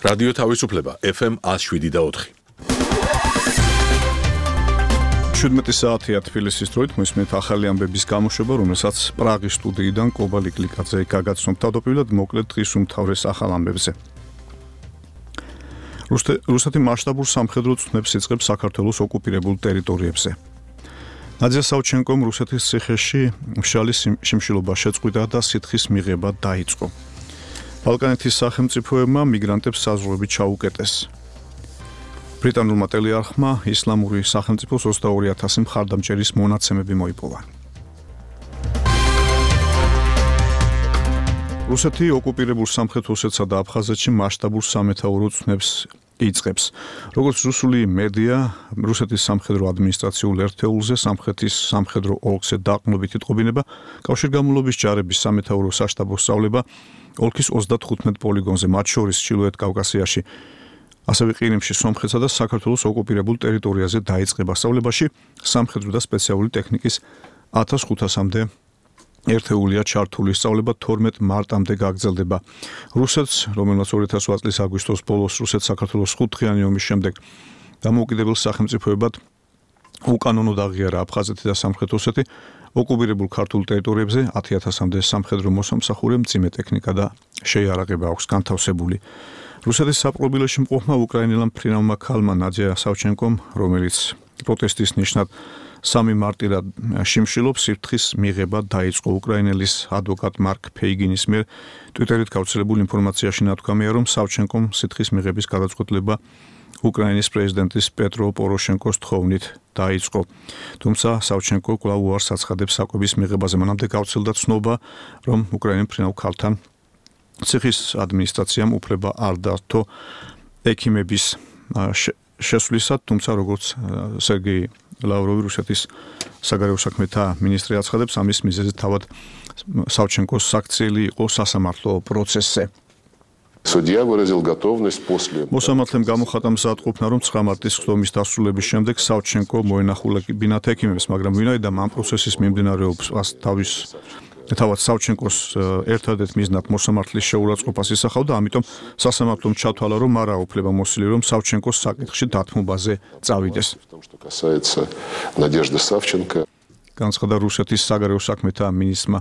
რადიო თავისუფლება FM 107.4. 17 საათია თბილისის დროით მოსმენთ ახალი ამბების გამოშვება, რომელსაც პრაღის სტუდიიდან კობალი კლიკაძე გაგაცნობ თავდაპირველად მოკლედ დღის უმთავრეს ახალ ამბებზე. რუსეთი მასშტაბურ სამხედრო წვნებს იწყებს საქართველოს ოკუპირებულ ტერიტორიებზე. ნადია სავჩენკომ რუსეთის ციხეში მშრალი შიმშილობა შეწყვიტა და სითხის მიღება დაიწყო. ბალკანეთის სახელმწიფოებმა მიგრანტებს საზღვრები ჩაუკეტეს. ბრიტანულმა ტელეარხმა ისლამური სახელმწიფოს 22,000 მხარდამჭერის მონაცემები მოიპოვა. რუსეთი ოკუპირებულ სამხრეთ ოსეთსა და აფხაზეთში მასშტაბურ სამეთაურო წვნებს იწყებს. როგორც რუსული მედია, რუსეთის სამხედრო ადმინისტრაციულ ერთეულზე სამხრეთის სამხედრო ოლქზე დაყრდნობით იტყობინება კავშირგამოვლობის ჯარების სამეთაურო საშტაბო სწავლება ოლქის 35 პოლიგონზე, მათ შორის ჩრდილოეთ კავკასიაში, ასევე ყირიმში, სომხეთსა და საქართველოს ოკუპირებულ ტერიტორიაზე დაიწყება. სწავლებაში სამხედრო და სპეციალური ტექნიკის 1500-მდე ერთეულია ჩართული. სწავლება 12 მარტამდე გაგრძელდება. რუსეთს, რომელმაც 2008 წლის აგვისტოს ბოლოს რუსეთ-საქართველოს 5-დღიანი ომის შემდეგ დამოუკიდებელ სახელმწიფოებად უკანონოდ აღიარა აფხაზეთი და სამხრეთ ოსეთი, ოკუპირებულ ქართულ ტერიტორიებზე 10,000-მდე სამხედრო მოსამსახურე, მძიმე ტექნიკა და შეიარაღება აქვს განთავსებული. რუსეთის საპყრობილეში მყოფმა უკრაინელმა ფრინავმა ქალმა ნადია სავჩენკომ, რომელიც პროტესტის ნიშნად 3 მარტიდან შიმშილობს, სიფრთხის მიღება დაიწყო. უკრაინელის ადვოკატ მარკ ფეიგინის მიერ ტვიტერით გავრცელებულ ინფორმაციაში ნათქვამია, რომ სავჩენკომ სიფრთხის მიღების გადაწყვეტილება უკრაინის პრეზიდენტის პეტრო პოროშენკოს თხოვნით დაიწყო. თუმცა სავჩენკო კვლავ უარს აცხადებს საკვების მიღებაზე. მანამდე გავრცელდა ცნობა, რომ უკრაინის ფრინავ ქალთან ციხის ადმინისტრაციამ უფლება არ დართო ექიმების შესვლისად, თუმცა როგორც სერგეი ლავროვი, რუსეთის საგარეო საქმეთა მინისტრი აცხადებს, ამის მიზეზი თავად სავჩენკოს საქციელი იყო სასამართლო პროცესზე. მოსამართლემ გამოხატა მზადყოფნა, რომ 9 მარტის ხდომის დასრულების შემდეგ სავჩენკო მოენახულებინათ ექიმებს, მაგრამ ვინაიდან ამ პროცესის მიმდინარეობას თავად სავჩენკოს ერთადერთ მიზნად მოსამართლის შეურაცხყოფას ისახავდა, ამიტომ სასამართლომ ჩათვალა, რომ არ აუფლება მოსილი, რომ სავჩენკოს საკითხში დათმობაზე წავიდეს. განცხადა რუსეთის საგარეო საქმეთა მინისტრმა.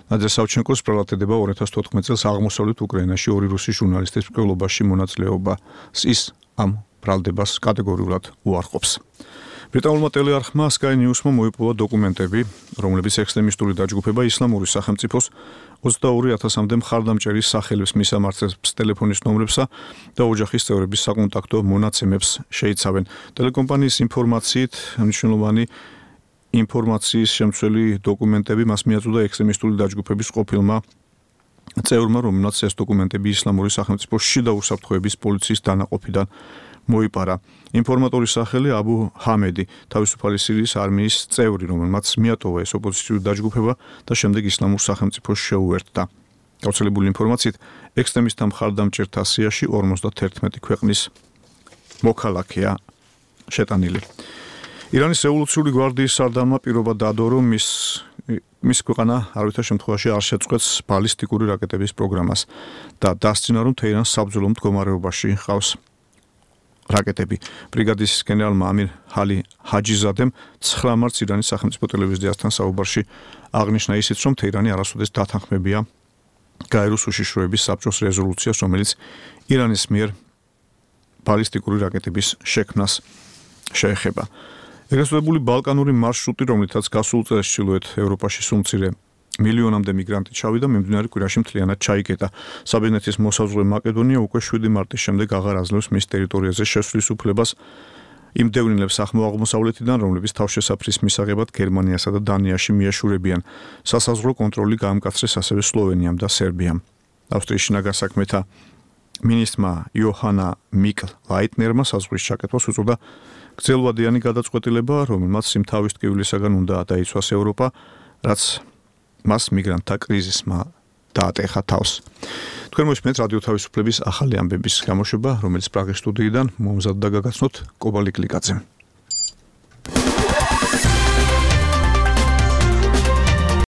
ნადია სავჩენკოს პრალატედება 2014 წელს აღმოსავლეთ უკრაინაში 2 რუსი ჟურნალისტის მკვლელობაში მონაწილეობას ის ამ ბრალდებას კატეგორიულად უარყოფს. ბრიტანულმა ტელეარხმა Sky News-მა მოიპოვა დოკუმენტები, რომლებიც ექსტრემისტული დაჯგუფება ისლამური სახელმწიფოს 22,000-მდე მხარდამჭერის სახელებს, მისამართებს ტელეფონის ნომრებსა და ოჯახის წევრების საკონტაქტო მონაცემებს შეიცავენ. ტელეკომპანიის ინფორმაციით, მნიშვნელოვანი ინფორმაციის შემცველი დოკუმენტები მას მიაწოდა ექსტრემისტული დაჯგუფების ყოფილმა წევრმა, რომელმაც ეს დოკუმენტები ისლამური სახელმწიფოს შიდა უსაფრთხოების პოლიციის დანაყოფიდან მოიპარა. ინფორმატორის სახელი აბუ ჰამედი, თავისუფალი სირიის არმიის წევრი, რომელმაც მიატოვა ეს ოპოზიციური დაჯგუფება და შემდეგ ისლამურ სახელმწიფოს შეუერთდა. გავრცელებული ინფორმაციით, ექსტრემისტთა მხარდამჭერთა სიაში 51 ქვეყნის მოქალაქეა შეტანილი. ირანის რევოლუციური გვარდიის სარდალმა პირობა დადო, რომ მის ქვეყანა არავითარ შემთხვევაში არ შეწყვეტს ბალისტიკური რაკეტების პროგრამას და დასძინა, რომ თეირანს საბრძოლო მდგომარეობაში ჰყავს რაკეტები. ბრიგადის გენერალმა ამირ ჰალი ჰაჯიზადემ 9 მარტს ირანის სახელმწიფო ტელევიზიასთან საუბარში აღნიშნა ისიც, რომ თეირანი არასოდეს დათანხმებია გაეროს უშიშროების საბჭოს რეზოლუციას, რომელიც ირანის მიერ ბალისტიკური რაკეტების შექმნას შეეხება. ეგრესწოდებული ბალკანური მარშრუტი, რომლითაც გასულ წელს ჩრდილოეთ ევროპაში სულ მცირე მილიონამდე მიგრანტი ჩავიდა, მიმდინარე კვირაში მთლიანად ჩაიკეტა. საბერძნეთის მოსაზღვრე მაკედონია უკვე 7 მარტის შემდეგ აღარ აძლევს მის ტერიტორიაზე შესვლის უფლებას იმ დევნილებს აღმოსავლეთიდან, რომლებიც თავშესაფრის მისაღებად გერმანიასა და დანიაში მიეშურებიან. სასაზღვრო კონტროლი გაამკაცრეს ასევე სლოვენიამ და სერბიამ. ავსტრიის შინაგან საქმეთა მინისტრმა იოჰანა მიკ-ლაიტნერმა საზღვრის ჩაკეთვას უწოდა გრძელვადიანი გადაწყვეტილება, რომელმაც სიმთავის ტკივილისაგან უნდა დაიცვას ევროპა, რაც მას მიგრანტთა კრიზისმა დაატეხა თავს. თქვენ მოსმენთ რადიო თავისუფლების ახალი ამბების გამოშვება, რომელიც პრაღის სტუდიიდან მომზადდა გაგაცნოთ კობალი კლიკაძემ.